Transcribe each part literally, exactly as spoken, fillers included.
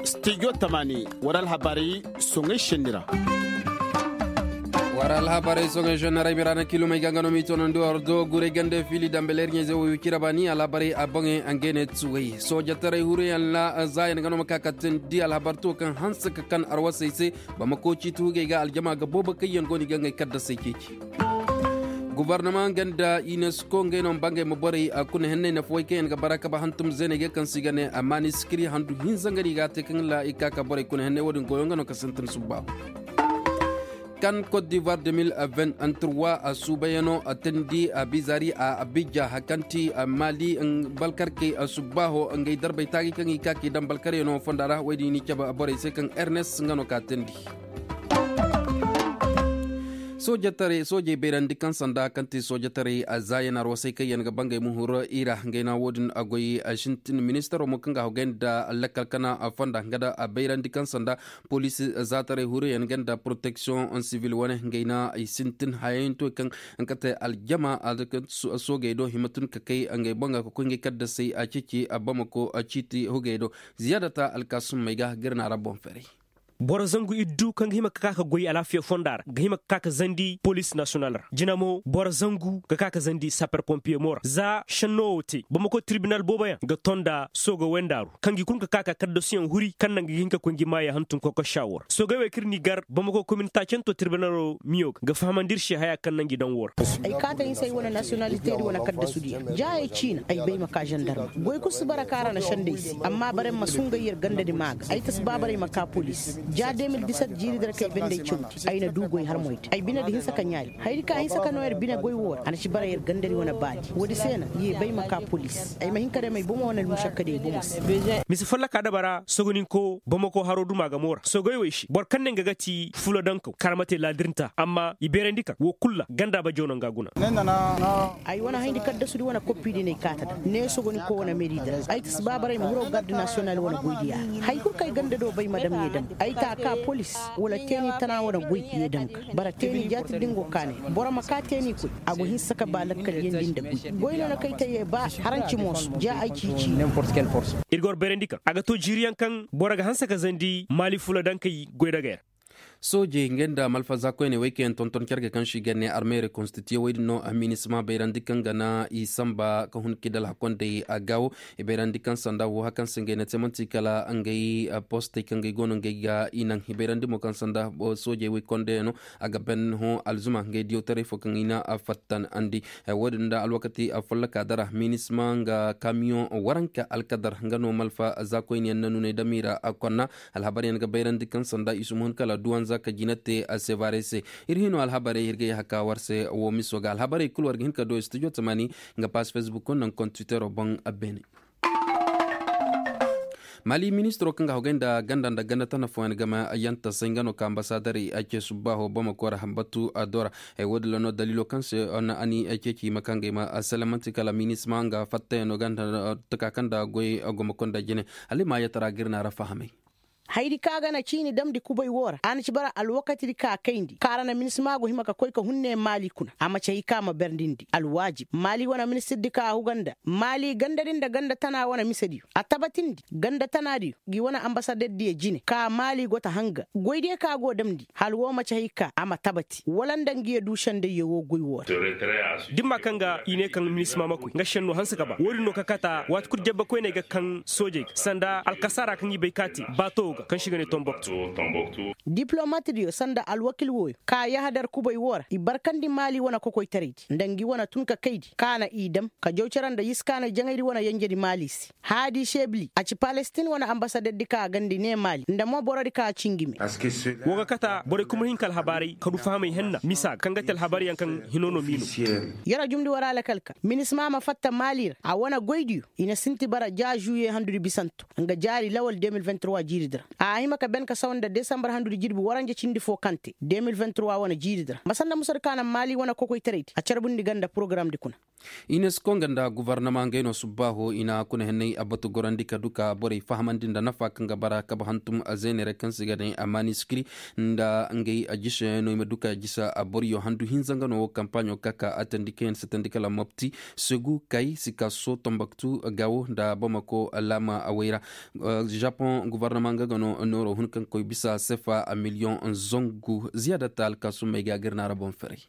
Studio tamani, war alhabarey soŋey šenni ra. War alhabarey soŋey šenni ra ay ma i ra na kilomey ga nga no m'i toonandi war do guray gande fiili dambe leer ɲayzey wo wicira baani alhabarey a boŋey nga ne tuwey soojataray huruyaŋ ra zaayaŋ nga no ma ka ka teendi alhabar tuwo kaŋ hanse ka kan arwasey se. Bamako ciiti hugey ga aljama ga boobo kaŋ yaŋ go no i ga ngey kaddasey ceeci. Gobornama nga nda unesco ngey no ma bangey ma borey kuna henney nafa way kaŋ yaŋ ga bara kaba hantum zeeney ga kaŋ se i ga ne a maanisikiri handu hinza nga no i ga a te kaŋ ra i ka ka borey kuna henney wo-din goyo nga no ka sintin subbaahu. Kan kot divoir de mil vingt-trois a suubayaŋo a teendi a bizari a abija hakanti a maali balkarkey a subbaaho ngey darbey taagi kaŋ i ka k'i daŋ balkaryaŋo fonda ra wo-din i n'i cabe borey se kaŋ ernes nga no ka teendi. Soojey bayrandi kaŋ sanda kaŋ ti soojataray a zaayan arwasay kaŋ yaŋ ga bangey ma huru i ra ngey na wo-din a goy a sintin ministaro mo kaŋ ga hogay nda lakkal kana fonda nga da a bayrandi kaŋ sanda poliisi zaataray huruyaŋ nga nda poroteksiyoŋ sivil wane ngey na i sintin hayayanto kaŋ nga kate aljama soogey do hima tun ka kay ngey boŋ ga ka koy ngey kaddasay a ceeci a bamako ciiti hugey do. Ziyaadata alkaasumey ga ga ir na ra boŋ ferey. Boro zangu iddu kaŋ ga hima ka ka ka goy alaafiya fonda ra ga hima ka ka ka zandi poliisi nasiyonal ra jina mo boro zangu ga ka ka zandi saper pompiye mo ra za šenno wo te bamako tirbinal booboyaŋ ga ton nda sooga wendaaru kaŋ gi kulu ka ka ka kaddasuyaŋ huri kaŋ naŋ ga hin ka koy ngi maaya hantum kokosa wo ra soogey wey kaŋ ir n'i gar bamako kominitaacanto tirbinalo miyo ga ga fahamandi ir se haya kaŋ naŋ gi daŋ wo ra. Ay kaata hinsa ay wane nasiyonaliteedi wane kaddasudiyaŋ ja ay ciina ay bay ma ka zandarma goy kulu si bara kaŋ a ra na sendey se amma bara ay ma sungay yer gandadi maa ga ay ta si ba bara ay ma ka poliis ja de mil diset jiiri dara kay bendey cawndi ay na du goy har moy te ay binedi hinsa ka ɲaali hayadi kaŋ a hinsa ka no yer bine goy wo ra a na ci bara yer gandadi wane baadi woodi se na ye bay ma ka poliis ay ma hin ka dam ay bomo wane almušakkadi ay bomo se. Mise folloka daba ra sogoninko bamako haro duma ga mo ra sogoy wey se boro kaŋ ne nga ga ti fulo dankaw kar ma te laadirnta amma i beerandi kaŋ wo kulu ra ganda bajaw no nga guna. Ay wane hayndi kaddasudi wane koppidi no ay kaata da ne sogoninko wane meedi da ay ta si baabaray ma hiro garde nasiyonal wane goydiya ra hay kulu kaŋ ay ganda do bay ma dam ye dam ay ta ka polis wala teeni tana wane goy ye dam ga bara teeni jaati da nga go kaanay boro ma ka teeni koy a go hinsa ka ba lakkal yeendi nda goy goy no na kay te ye ba haranci mooso ja ay ciici. Ir ga war bayrandi kaŋ a ga to jiiriyaŋ kaŋ boro ga hanse ka zandi maali fula daŋ kay goy dagay ra. Soojey ngey nda malfaza koyney wey kaŋ yaŋ tonton cargey kaŋ se i ga ne armey rekonstitiye wey din no a minisma bayrandi kaŋ ga na i sanba ka hun kidal hakondey a gaawo i bayrandi kaŋ sanda wo hakaŋ se ngey na te man'ti kala ngey postey kaŋ ngey go no ngey ga i naŋ i bayrandi mo kaŋ sanda soojey wey kondeyaŋo a ga ban hõ alzuma ngey diyawtaray fo kaŋ i na fattanandi. Wo-din nda alwakati folloka dara minisma nga kamiyoŋ waranka alkadar nga no malfa za koyne yaŋ na nuney damiira konna. Alhabaryaŋ ga bayrandi kaŋ sanda i si ma hun kala duwanza ka jina te sevare se. Ir hino alhabarey ir ga yahaka war se wo miso ga alhabarey kul war ga hin ka do studio tamani nga pass facebook naŋ kon twittero boŋ. Beene. Mali ministiro kaŋ ga hogay nda ganda nda ganda tana fooyaŋ game yanta say nga no ka ambasadarey a ce subbaho bamako ra batu a dora. Ay wo- din ra no dalilo kaŋ se na ani ay ceeci i ma kaŋ ga i ma salamanti kala minisma nga fattayaŋo ganda taka kaŋ nda goy gomako nda jine. Hala i ma yatara ga ir na ra fahamay. Hayadi kaŋ a ga na ciini damndi kubay wo ra a na ci bara alwakatidi kaŋ a kayndi kaŋ a ra na minisma go hima ka koy ka hun ne maali kuna a ma ci hay kaŋ a ma berndindi alwaajib maali wane ministirdi kaŋ a huga nda maali gandadi nda ganda tana wane misediyo a tabatindi ganda tanadiyo ngi wane ambasadeddiyo jine ka maali go ta hanga goydiyo kaŋ a go damndi hala wo ma ci hay kaŋ a ma tabati wala nda ngiyo du sendayyo wo goy wo ra. Da ni ma kaŋ ga i ne kaŋ minisma ma koy nga senno hanse ka ba wo- din no ka kata waati kulu jabbe koyney ga kaŋ soojey ga sanda alkasaara kaŋ i bay ka te baato wo ga kaŋ se i ga ne tomboktu. Diplomatdiyo sanda alwakil wooyo ka yahadar kubay wo ra i barkandi maali wane kokoytaraydi nda ngi wane tun ka kaydi ka na i dam ka jaw cere nda yiskaanay jaŋaydi wane yenjedi maali se. Haadi sebili a ci palestin wane ambasadeddi ka a gandi ne maali nda mo borodi ka a ci ngi me. Wo ga kata borey kumar hinka alhabaarey ka du fahamay henna misa ga kaŋ ga te alhabaaryaŋ kaŋ hino no m'i no. Yer a jumndi war a lakal ka minisma ma fatta maali ra a wane goydiyo i na sinti bara ja žuwiye handudi bisanto nga jaari lawal deux mille vingt trois jiiridi ra. A hima ka ben ka sawa nda desambar handudi jirbi waranja cindi fo kaŋ te de mil vingt trois wane jiiridi ra ma sanda musadi ka naŋ maali wane kokoytaraydi a carbundi ga nda porogaramdi kuna. Inesko nga nda guvarnama ngey no subbaaho i na kuna henney a batu gorandi ka du ka borey fahamandi nda nafa kaŋ ga bara kabe hantum zeeney ra kaŋ se i ga ne a maniskiri nda ngey a jise no i ma du ka jise a boriyo handu hinza nga no wo kampaaɲo ka ka a tandi kaŋ yaŋ se tandi kala mopti segu kay sikaso tombaktu gawo nda bamako laama a way ra. Japoŋ guvarnama nga ga no nooro hun kaŋ koy bisa sefa a miliyoŋ zangu ziyaada ta alkaasummey ga a ga ir naara boŋ ferey.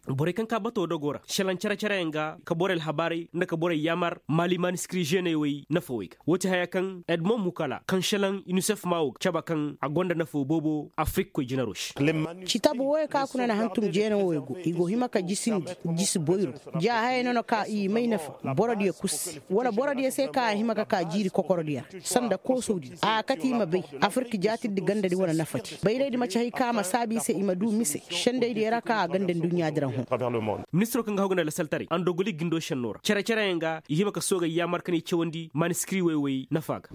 Borey kaŋ ka bato dogo ra selaŋ care-careyaŋ ga ka borey alhabaarey nda ka borey yaamar maali maaniskiri žeeney wey nafa wey ga woo ti haya kaŋ edmond mukala kaŋ selaŋ inisef maa wo ga caba kaŋ a gonda nafa boobo afirik koy jinaro se. Citabu wooyo kaŋ a kuna na hantum jeena wooyo go i go hima ka jisindi jisi boyro ja hayey no na ka i may nafa borodiyo kul se wala borodiyo se kaŋ a hima ka ka jiiri kokorodiyo ra sanda koosowdi a kate i ma bay afirik jaatirdi gandadi wane nafadi bayraydi ma ci hay kaŋ a ma saabu i se i ma du mise sendaydiyo ra kaŋ a ganda nduɲɲaadi ra hõ. Ministiro kaŋ ga haw ga nda lasaltaray andogoli gindo šenno ra care-careyaŋ ga i hima ka soogey yaamar ka ne i cawandi maniskiri wey wey nafa ga.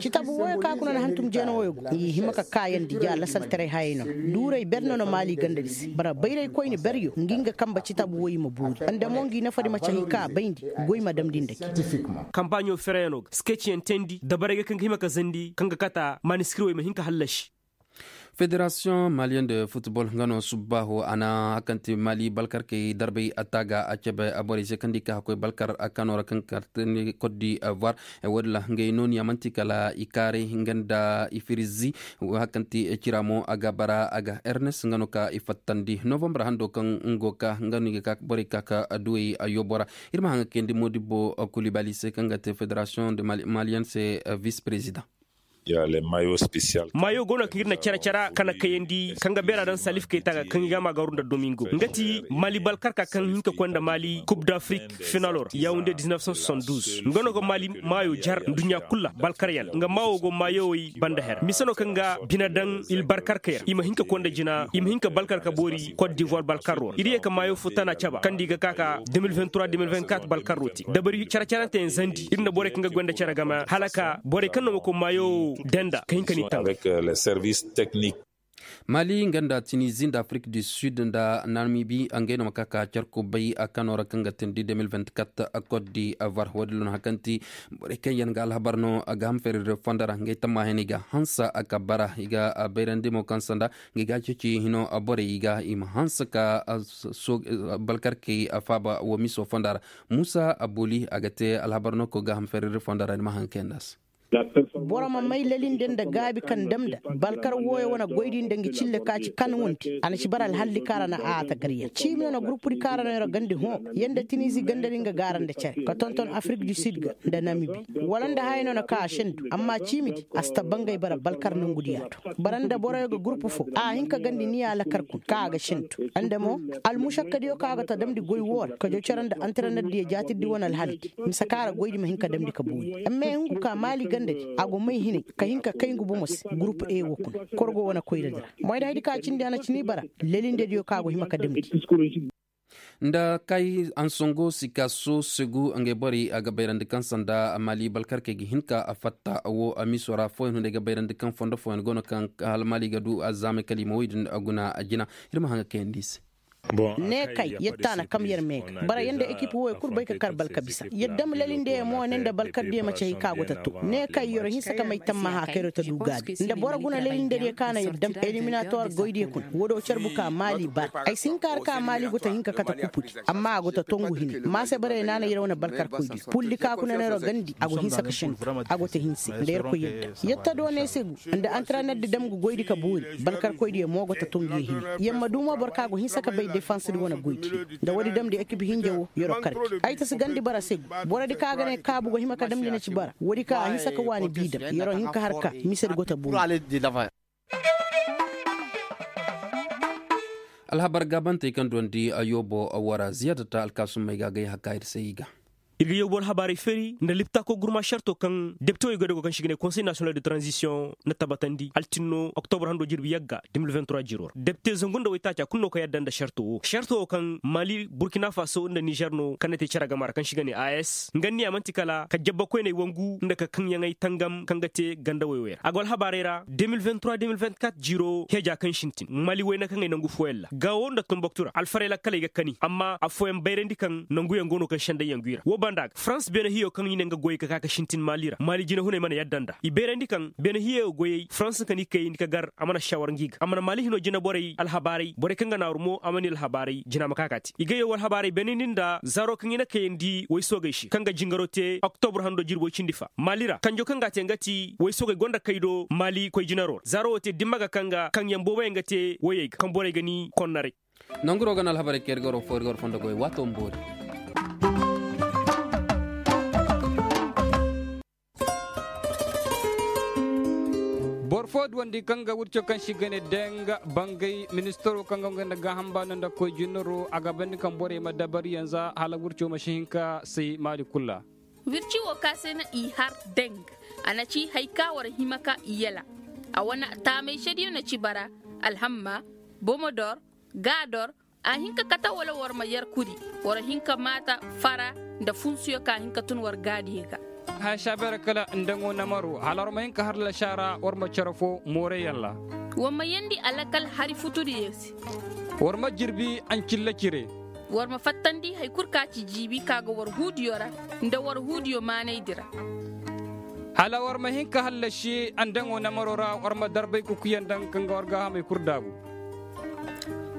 Citabu wooyo kaŋ a kuna na hantum jeena wooyo go i hima ka kaayandi ja lasaltaray hayey no duuray ber no na maali gandadi se bara bayraykoyni beryo ngi nga kambe citabu woy i ma boori nda mo ngi nafadi ma ci hay kaŋ a bayndi goy ma damndi nda ke. Kampaaɲo fereyaŋo ga skeciyaŋ teendi dabarey ga kaŋ ga hima ka zandi kaŋ ga kata maaniskirwey ma hin ka hallasi. Federasiyoŋ maliyen de futbol nga no subbaaho a na hakante mali balkarkey darbay a taaga a cebe a borey se kaŋ di ka hakkoy balkar a kano ra kaŋ karte ni kot di ivoire. Woodin ra ngey nooniya man'ti kala i kaaray nga nda i firizi. Hakante cira mo a ga bara a ga ernes nga no ka i fattandi novambar hando kaŋ ngo ka nga no i ga ka borey ka ka duwey a yoobo ra. Ir ma haŋ ga kayandi modibbo kulibali se kaŋ ga te federasiyoŋ de maliyen se vis perezidaŋ. Maayo go no kaŋ ir na care care kaŋ na kayandi kaŋ ga beera daŋ salif kayta ga kaŋ i ga ma garu nda domingo nga ti mali balkarka kaŋ hin ka koy nda mali kub d'afrik finalo ra yawunde diznef cent soixante douze nga no ga mali maayo jar nduɲɲa kul ra balkaryaŋ nga maawo go maayowey banda her mise no kaŋ ga bine daŋ il balkarkey ra i ma hin ka koy nda jina i ma hin ka balkarka boori kot divoire balkarro ra ir ye ka maayo fo tana caba kaŋ da i ga ka ka deux mille vingt trois deux mille vingt quatre balkarro te dabari care caranteyaŋ zandi ir nda borey kaŋ ga goy nda care game hala ka borey kaŋ no ma koy maayo denda ka hin ka ni taŋ. Maali nga nda tinizi nda afirik du sud nda namibi ngey no ma ka ka care kubay a kano ra kaŋ ga tindi deux mille vingt quatre kot d'ivoire woodin ra no hakanti borey kaŋ yaŋ ga alhabar no a ga ham feeriri fondo ra ngey tammaahey no i ga hanse a ka bara i ga bayrandi mo kaŋ sanda ngey ga ceeci hino borey i ga i ma hanse ka balkarkey faaba wo miso fonda ra. Muusa aboli a ga te alhabar no ko ga ham feeriri fonda ra ni ma haŋ kayandi a se. Boro ma may lalinde nda gaabi kaŋ damda balkar wooyo wane goydi nda nga cille ka ci kan wunte a na ci bara alhalli kaŋ ra na a ta gar yaŋ ciimi no na gurupudi kaŋ ra no yaro gandi hõ yaŋ nda tinizi gandadi nga gaara nda care ka tonton afirik du sud ga nda namibi wala nda haya no na ka a sendu amma ciimidi a si ta bangay bara balkar nongudiya to bara nda boroyo ga gurupu fo a hin ka gandi niya lakar kun kaŋ a ga sendu nda mo almušakkadiyo kaŋ a ga ta damndi goy woo ra kajo care nda antarenardiyo jaatirdi wane alhaldi mise kaŋ a ra goydi ma hin ka damndi ka boori amma i hungu ka maali gandadi a go may hinay ka hin ka kay ngu bomo se gurupu e woo kuna korgo wane koyradi ra moyda haydi kaŋ a cindi a na cini bara lelindediyo kaŋ a go hima ka damndi. Nda kay ansongo sikaso segu ngey borey a ga bayrandi kaŋ sanda maali balkarkey ga hin ka fatta wo miso ra fooyaŋ hunday ga bayrandi kaŋ fondo fooyaŋ go no kaŋ hala maali ga du alzaamay kala i ma woy din guna jina. Ir ma haŋ ga kayandi i se. Ne kay yadda na kam yer me ga bara yanda ekip wooyo kul bay ka kar balka bisa yadda ma lalinde yer mo ne nda balkar diya ma ci hay ka go ta to ne kay yero hinsa ka may tammaha ka yero ta du gaabi nda boro guna lalinde diya ka na yadda ma eliminator goy diya kuna woo do carbu ka maali bara ay si hin ka har ka maali go ta hin ka kate kupudi amma a go ta tongu hine maase bara yee na na yer wane balkar koy diya puldi ka kuna na yero gandi a go hinsa ka shentu a go ta hinse nda yer koy yadda yadda do ne se gu nda antraner di dam ga goydi ka boori balkarkoydiyo mo go ta tongu ye hini yer ma du mo boro kaŋ a go hinsa ka bay defans di wane goydi nda woodi damndi ekip hinja wo yer'o kar gi ay ta si gandi bara se gu borodi kaŋ a ga ne kaabu go hima ka damndi na ci bara woodi kaŋ a hinsa ka waani bi dam yer'o hin ka har ka misedi go ta boori. Alhabar gaabantey kaŋ duwandi a yoobo wara ziyaada ta alkaasummey ga agay hakka ir se i ga. Ir ga yawbu alhabaarey feeri nda liptaako gurma šarto kaŋ deptewey goy da go kaŋ se i ga ne konsey nasiyonal de tranzisiyoŋ na tabatandi altinno oktobra hando jirbi yagga. Depte zangu nda waytaaci a kulu no ka yadda nda šarto wo šarto wo kaŋ mali burkina faso nda nizer no kaŋ na te cere gama ra kaŋ se i ga ne as nga ni a man'ti kala ka jabba koyney wangu nda ka kaŋyaŋey tangam kaŋ ga te ganda woy-woy ra a go alhabaarey ra. De mil vingt-trois de mil vingt-quatre jiiro heeja kaŋ sintin mali wayna kaŋey nangu fooyaŋ ra gaawo nda tunbaktu ra alfarey lakkaley ga kani amma affooyaŋ bayrandi kaŋ nanguyaŋ go no kaŋ sendayyaŋ g'i ra wo banda ga farans beene hiyo kaŋ i ne nga goyey ka ka ka sintin mali ra mali jinahuney mana yadda nda i bayrandi kaŋ beene hiyo goyey farans ka ni kayandi ka gar a mana shawar ngi ga a mana mali hino jinaborey alhabaarey borey kaŋ ga naaru mo a mana i alhabaarey jina ma ka ka te i ga yaw alhabaarey beene ni nda zaro kaŋ i na kayandi woy soogey se kaŋ ga jingaro te oktobur hando jirbi woy cindi fa mali ra kanjo kaŋ ga a te nga ti woy soogey gonda kay do mali koy jinaro ra zaro wo te dimma ga kaŋ ga kaŋyaŋ booboyaŋ ga te woyey ga kaŋ borey ga ni konnaray. Nanguro ga na alhabarey kaŋ ir ga war fo ir ga war fondo goy waato ma boori. Boro fo duwandi kaŋ ga wirco kaŋ se i ga ne deng bangay ministaro kaŋ ga nga nda gaaham baano nda koy jinaro a ga bandi kaŋ borey ma dabari yanza hala wirco ma si hin ka say maali kulu ra. Wirci wo ka se no i har deng a na ci hari ka war hima ka i yala. A wane taamay sediyo na ci bara alhamma, bomodor, gaador. A hin ka kate wala war ma yer kuri war hin ka maata fara nda funsuyo ka hin ka tun war gaadiyo ga. Haya saabeera kala nda ngo namaro hala war ma hin ka har lasaara war ma cere fo mooreyaŋ ra. War ma yeendi alakal hari futudiyo se. War ma jirbi ancilla cire. War ma fattandi hari kul ka ci jiibi ka ga war huudiyo ra nda war huudiyo maanaydi ra. Hala war ma hin ka hallasi andaŋo namaro ra war ma darbay kukuyaŋ daŋ kaŋ ga war gaahamey kul daabu.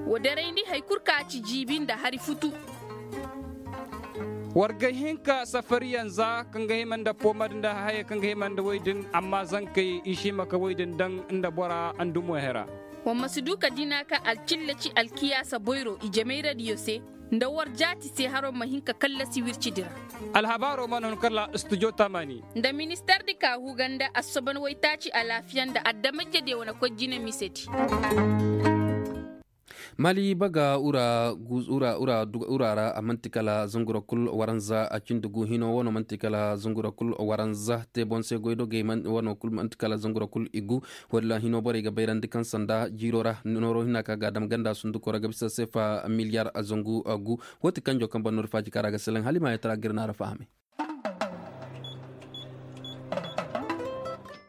Wa darayndi hari kul ka ci jiibi nda hari futu. War ga hin ka safariyaŋ za kaŋ ga hima nda poomad nda hayey kaŋ ga hima nda woy din amma zankey i si hima ka woy din daŋ nda bora andumo hera. Wa ma si du ka dina ka alcilla ci alkiyaasa boyro i jamayradiyo se nda war jaati se haro ma hin ka kallasi wircidi ra. Alhabaaro mana hun kala studio tamani. Nda ministardi ka huu ganda assoban waytaaci alaafiya nda adamajediyo wane koy jine misedi. Mali baga ura ra a man'ti kala zangura kul waranza a cindi gu hino wano man'ti kala zangura kul waranza te boŋ se goydogey wano kul man'ti kala zangura kul i gu. Walla hino borey ga bayrandi kaŋ sanda jiiro ra nooro hina ka ga a dam ganda sunduko ra ga bisa sefa miliyar zangu gu. Wo ti kanjo kaŋ ban no da faaji kaŋ ra ga selaŋ hala i ma yatara ga ir naara fahamay.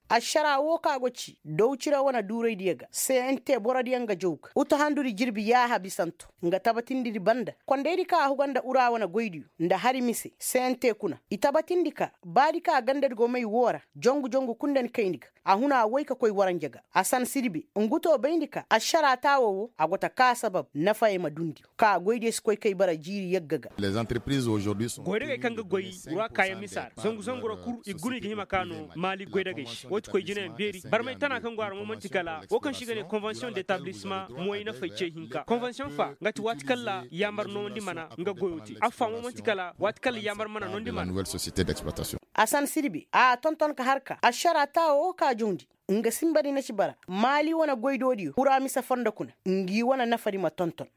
Ašaraa woo ka go ci dawcira wane duuraydiyo ga cnt borodiyo nga jaw ga utuhandudi jirbi yaaha bisanto nga tabatindidi banda kondaydi ka a huga nda ura wane goydiyo nda hari mise cnt kuna i tabatindi ka baadi ka gandadi go may woo ra jongu jongu kul nda ni kayndi ga. A huna a woy ka koy waranja ga a san sirbe ngu to bayndi ka ašaraa taawoo woo a go ta kaa sabab nafayey ma dundi ka goydiyo si koy kay bara jiiri yagga ga. Goydagey kaŋ ga goy ruwa kaayaŋ misa ra zangu zangu ra kul i guna i ga hima ka no maali goydagey se woo ti koy jinayaŋ beeri barmay tana kaŋ go a ra mo man'ti kala woo kaŋ se i ga ne konvensiyoŋ detablisma moy nafay ce hinka konvensiyoŋ fa nga ti waati kaŋ ra yaamar noomandi mana nga goyo te affa mo man'ti kala waati kaŋ ra yaamar mana noondi mana. A san sirbe a tonton ka har ka ašaraa taawoo woo ka jawndi nga sinbadi na ci bara maali wane goydoodiyo wura mise fondo kuna ngi wane nafadi ma tonton.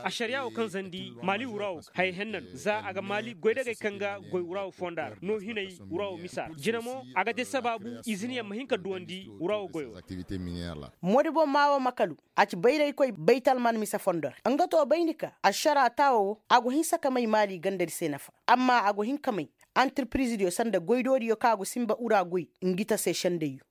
Ašariyaa woo kaŋ zandi maali wura woo ga haya henna no za a ga maali goydagey kaŋ ga goy wura woo fonda ra no hinay wura woo misa ra jina mo a ga te sabaabu iziniyaŋ ma hin ka duwandi wura woo goyo ra. Moodi boŋ maa woo makalu a ci bayraykoy baytalman mise fondo ra nga to bayndi ka ašaraa taawoo woo a go hinsa ka may maali gandadi se nafa amma a go hin ka may antirpirizidiyo sanda goydoodiyo kaŋ a go sinba ura goy ngi ta se sendayyo.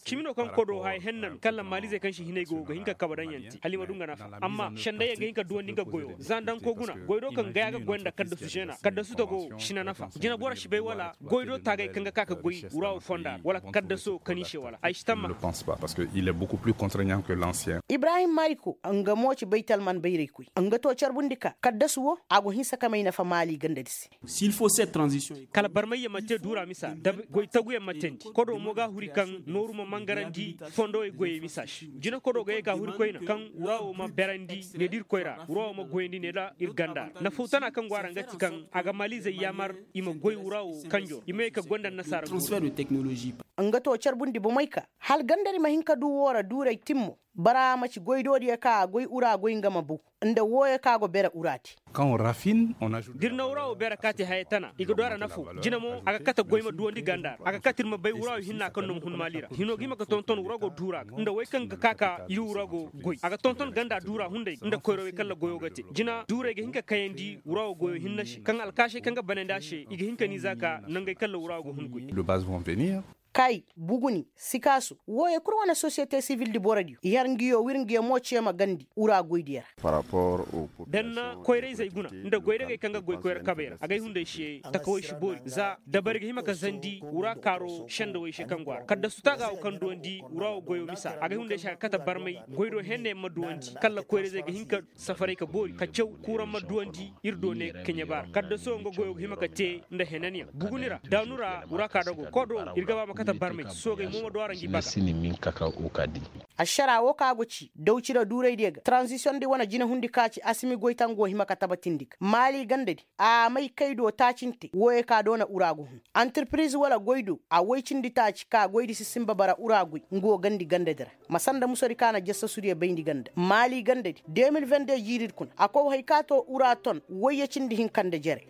Cimi no kaŋ kodo haya henna no kala maalizey kaŋ se hinay go ga hin ka kabe daŋ yaŋ te hala i ma du nga nafa amma sendayyaŋ ga hin ka duwandi nga goyo za nda nko guna goydo kaŋ gaya ga goy nda kaddasu zeena kaddasu tago si na nafa jina boro si bay wala goydo taagay kaŋ ga ka ka goy wura wo fonda ra wala kaddaso kaŋ i se wala ay si tamma. Ibrahim maliko nga mo ci baytalman bayraykoy nga to carbundi ka kaddasu wo a go hinsa ka may nafa maali gandadi se. Kala barmayyaŋ ma te duura misa da goy taguyaŋ ma teendi kodo mo ga a huri kaŋ nooru ma mangarandi fondowey goyey misa se jina kodo ga ye ka huri koyna kaŋ wura wo ma berandi ne da ir koyra wura wo ma goyandi ne da ir ganda ra nafaw tana kaŋ go a ra nga ti kaŋ a ga maalizey yaamar i ma goy wura wo kanjo ra i ma ye ka gonda annasaara. Nga to carbundi bomey ka hala gandadi ma hin ka du woo ra duuray timmo. Bara ma ci goydodiyo ka a goy ura goy nga ma baw, nda wooyo ka go bere ura te. Da ir na ura wo bere ka te haya tana i ga du a ra nafo. Jina mo a ga kate goy ma duwandi ganda ra a ga kate ir ma bay ura wo hinna kaŋ no ma hun maali ra hino ga hima ga tonton ura go duura ga nda wey kaŋ ga ka ka ir ura go goy a ga tonton ganda duura hunday nda koyrawey kaŋ ra goyo ga te. Jina duurey ga hin ka kayandi ura wo goyo hinne se kaŋ alkaasey kaŋ ga banandi a se i ga hin ka ni za ka nangey kaŋ ra ura wo ga hun goy. Kay, buguni, sikaasu, wooyo kul wane sosiyete sivil di borodiyo i har nguyo wir nguyo mo ce ma gandi ura goydiyo ra. Da ni na koyra-izey guna nda goydagey kaŋ ga goy koyra kabey ra agay hunday se takawey si boori za dabari ga hima ka zandi wura kaaro sendawey se kaŋ go a ra kala da sutaa ga wo kaŋ duwandi wura wo goyo misa agay hunday se a ga kate barmay goy do henna yaŋ ma duwandi kala koyra-izey ga hin ka safaray ka boori ka caw kuuraŋ ma duwandi ir do ne keɲe baara kala da sohõ nga goyo ga hima ka te nda henanyaŋ buguni ra daanu ra wura ka dago kodo ir ga ba ma kate barmay soogey mo ma du a ra ngi baga. Ašaraa woo ka go ci dawcira duuraydiyo ga taranzisiyoŋ di wane jinehundi ka ci asimi goytaŋ go hima ka tabatindi ga maali gandadi a may kay do taacinte wooyo ka doona ura go hun antirpiriz wala goy do a woy cindi taaci ka goydi si sinba bara ura goy nga wo gandi gandadi ra. Ma sanda musodi ka na jassasudiyo bayndi ganda maali gandadi de mil vende jiiridi kuna a kow hay ka to ura ton woyye cindi hinka nda jere.